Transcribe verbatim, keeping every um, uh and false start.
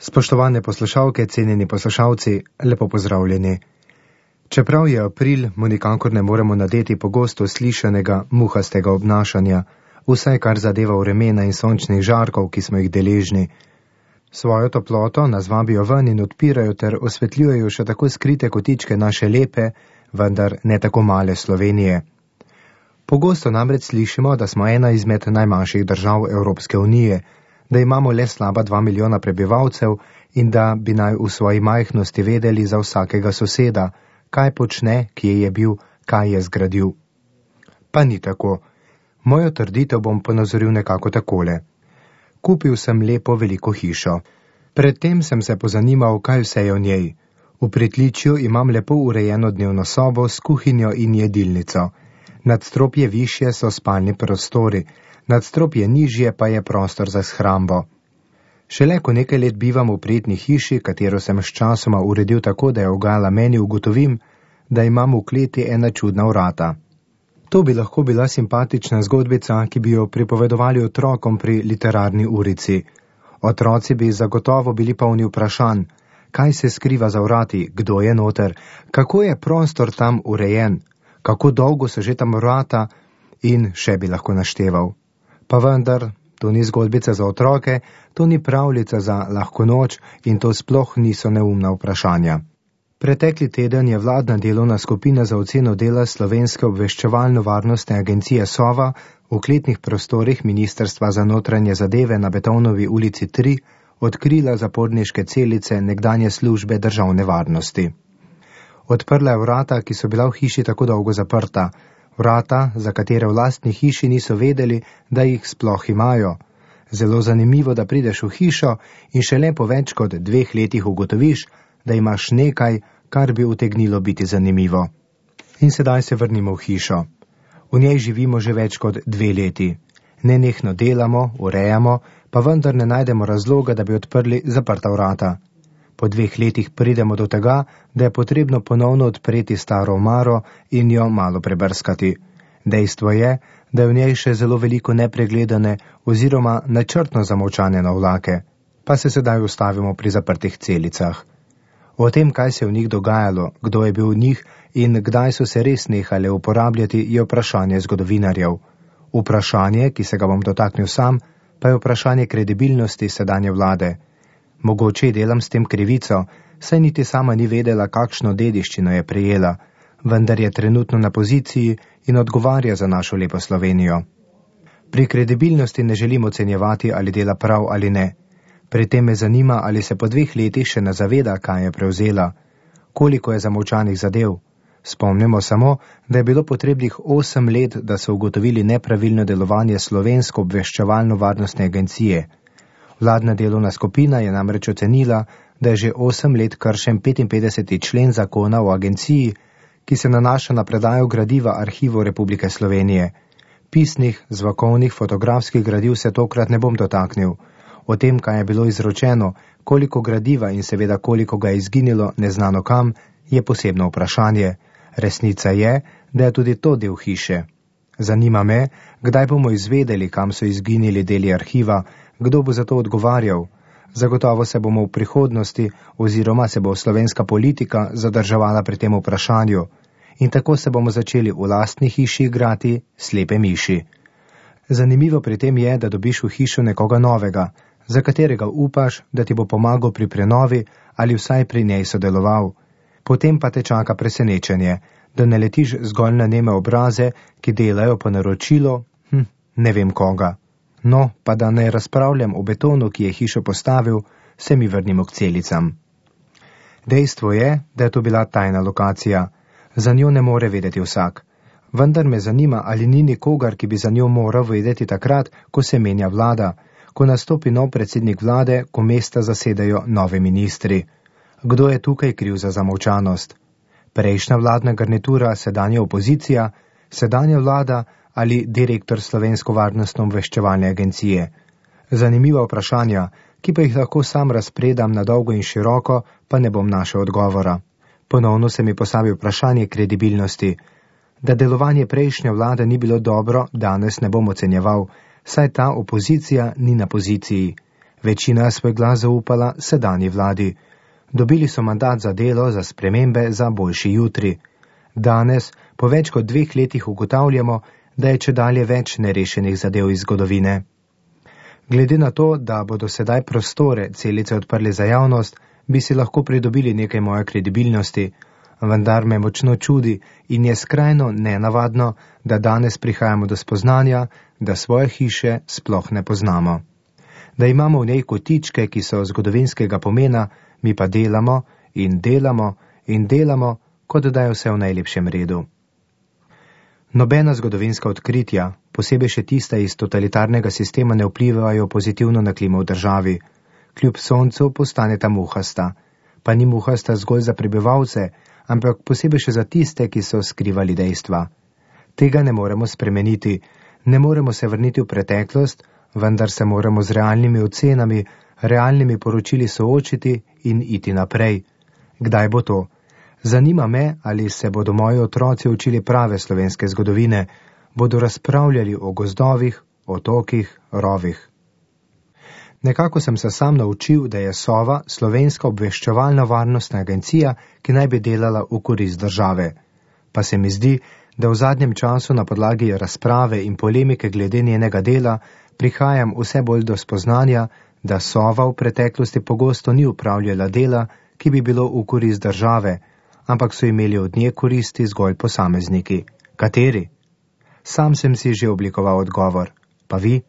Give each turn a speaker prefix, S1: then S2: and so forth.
S1: Spoštovane poslušalke, cenjeni poslušalci, lepo pozdravljeni. Čeprav je april, mu nikakor ne moremo nadeti pogosto slišanega muhastega obnašanja, vsaj kar zadeva vremena in sončnih žarkov, ki smo jih deležni. Svojo toploto nas vabijo ven in odpirajo ter osvetljujejo še tako skrite kotičke naše lepe, vendar ne tako male Slovenije. Pogosto namreč slišimo, da smo ena izmed najmanjših držav Evropske unije, da imamo le slaba dva milijona prebivalcev in da bi naj v svoji majhnosti vedeli za vsakega soseda, kaj počne, kje je bil, kaj je zgradil. Pa ni tako. Mojo trditev bom ponazoril nekako takole. Kupil sem lepo veliko hišo. Predtem sem se pozanimal, kaj vse je v njej. V pritličju imam lepo urejeno dnevno sobo s kuhinjo in jedilnico. Nadstropje višje so spalni prostori, nadstropje nižje pa je prostor za shrambo. Šele ko nekaj let bivam v prijetni hiši, katero sem s časoma uredil tako, da je ugajala meni, ugotovim, da imam v kleti ena čudna vrata. To bi lahko bila simpatična zgodbica, ki bi jo pripovedovali otrokom pri literarni urici. Otroci bi zagotovo bili polni vprašanj, kaj se skriva za vrati, kdo je noter, kako je prostor tam urejen, kako dolgo so že tam vrata in še bi lahko našteval. Pa vendar, to ni zgodbica za otroke, to ni pravljica za lahko noč in to sploh niso neumna vprašanja. Pretekli teden je vladna delovna skupina za oceno dela Slovenske obveščevalno-varnostne agencije Sova v kletnih prostorih Ministrstva za notranje zadeve na Betovnovi ulici tri odkrila zaporniške celice nekdanje službe državne varnosti. Odprla je vrata, ki so bila v hiši tako dolgo zaprta, vrata, za katere v lastni hiši niso vedeli, da jih sploh imajo. Zelo zanimivo, da prideš v hišo in šele po več kot dveh letih ugotoviš, da imaš nekaj, kar bi utegnilo biti zanimivo. In sedaj se vrnimo v hišo. V njej živimo že več kot dve leti. Nenehno delamo, urejamo, pa vendar ne najdemo razloga, da bi odprli zaprta vrata. Po dveh letih pridemo do tega, da je potrebno ponovno odpreti staro omaro in jo malo prebrskati. Dejstvo je, da je v njej še zelo veliko nepregledane oziroma načrtno zamolčane navlake. Pa se sedaj ustavimo pri zaprtih celicah. O tem, kaj se je v njih dogajalo, kdo je bil v njih in kdaj so se res nehale uporabljati, je vprašanje zgodovinarjev. Vprašanje, ki se ga bom dotaknil sam, pa je vprašanje kredibilnosti sedanje vlade. Mogoče delam s tem krivico, saj niti sama ni vedela, kakšno dediščino je prejela, vendar je trenutno na poziciji in odgovarja za našo lepo Slovenijo. Pri kredibilnosti ne želim ocenjevati, ali dela prav ali ne. Pri tem me zanima, ali se po dveh letih še ne zaveda, kaj je prevzela, koliko je zamolčanih zadev. Spomnimo samo, da je bilo potrebnih osem let, da so ugotovili nepravilno delovanje Slovenske obveščevalno-varnostne agencije. Vladna delovna skupina je namreč ocenila, da je že osem let kršen petinpetdeseti člen zakona o agenciji, ki se nanaša na predajo gradiva Arhivov Republike Slovenije. Pisnih, zvokovnih, fotografskih gradiv se tokrat ne bom dotaknil. O tem, kaj je bilo izročeno, koliko gradiva in seveda koliko ga je izginilo neznano kam, je posebno vprašanje. Resnica je, da je tudi to del hiše. Zanima me, kdaj bomo izvedeli, kam so izginili deli arhiva, kdo bo za to odgovarjal. Zagotovo se bomo v prihodnosti oziroma se bo slovenska politika zadrževala pri tem vprašanju in tako se bomo začeli v lastni hiši igrati slepe miši. Zanimivo pri tem je, da dobiš v hišo nekoga novega, za katerega upaš, da ti bo pomagal pri prenovi ali vsaj pri njej sodeloval. Potem pa te čaka presenečenje, da ne letiš zgolj na neme obraze, ki delajo po naročilo, hm, ne vem koga. No, pa da ne razpravljam o betonu, ki je hišo postavil, se mi vrnimo k celicam. Dejstvo je, da je to bila tajna lokacija. Za njo ne more vedeti vsak. Vendar me zanima, ali ni nikogar, ki bi za njo moral vedeti takrat, ko se menja vlada, ko nastopi nov predsednik vlade, ko mesta zasedajo nove ministri. Kdo je tukaj kriv za zamolčanost? Prejšnja vladna garnitura, sedanja opozicija, sedanja vlada ali direktor Slovensko varnostno-obveščevalne agencije? Zanimiva vprašanja, ki pa jih lahko sam razpredam na dolgo in široko, pa ne bom našel odgovora. Ponovno se mi postavi vprašanje kredibilnosti. Da delovanje prejšnje vlade ni bilo dobro, danes ne bom ocenjeval, saj ta opozicija ni na poziciji. Večina je svoj glas zaupala sedanji vladi. Dobili so mandat za delo, za spremembe, za boljši jutri. Danes, po več kot dveh letih ugotavljamo, da je čedalje več nerešenih zadev iz zgodovine. Glede na to, da bodo sedaj prostore celice odprli za javnost, bi si lahko pridobili nekaj moje kredibilnosti, vendar me močno čudi in je skrajno nenavadno, da danes prihajamo do spoznanja, da svoje hiše sploh ne poznamo. Da imamo v njej kotičke, ki so zgodovinskega pomena, mi pa delamo in delamo in delamo, kot da je vse v najlepšem redu. Nobena zgodovinska odkritja, posebej še tista iz totalitarnega sistema, ne vplivajo pozitivno na klimo v državi. Kljub soncu postaneta muhasta, pa ni muhasta zgolj za prebivalce, ampak posebej še za tiste, ki so skrivali dejstva. Tega ne moremo spremeniti, ne moremo se vrniti v preteklost, vendar se moramo z realnimi ocenami, realnimi poročili soočiti in iti naprej. Kdaj bo to? Zanima me, ali se bodo moji otroci učili prave slovenske zgodovine, bodo razpravljali o gozdovih, otokih, rovih. Nekako sem se sam naučil, da je Sova slovenska obveščevalna varnostna agencija, ki naj bi delala v korist države. Pa se mi zdi, da v zadnjem času na podlagi razprave in polemike glede njenega dela prihajam vse bolj do spoznanja, da Sova v preteklosti pogosto ni upravljala dela, ki bi bilo v korist države, ampak so imeli od nje koristi zgolj posamezniki. Kateri? Sam sem si že oblikoval odgovor. Pa vi?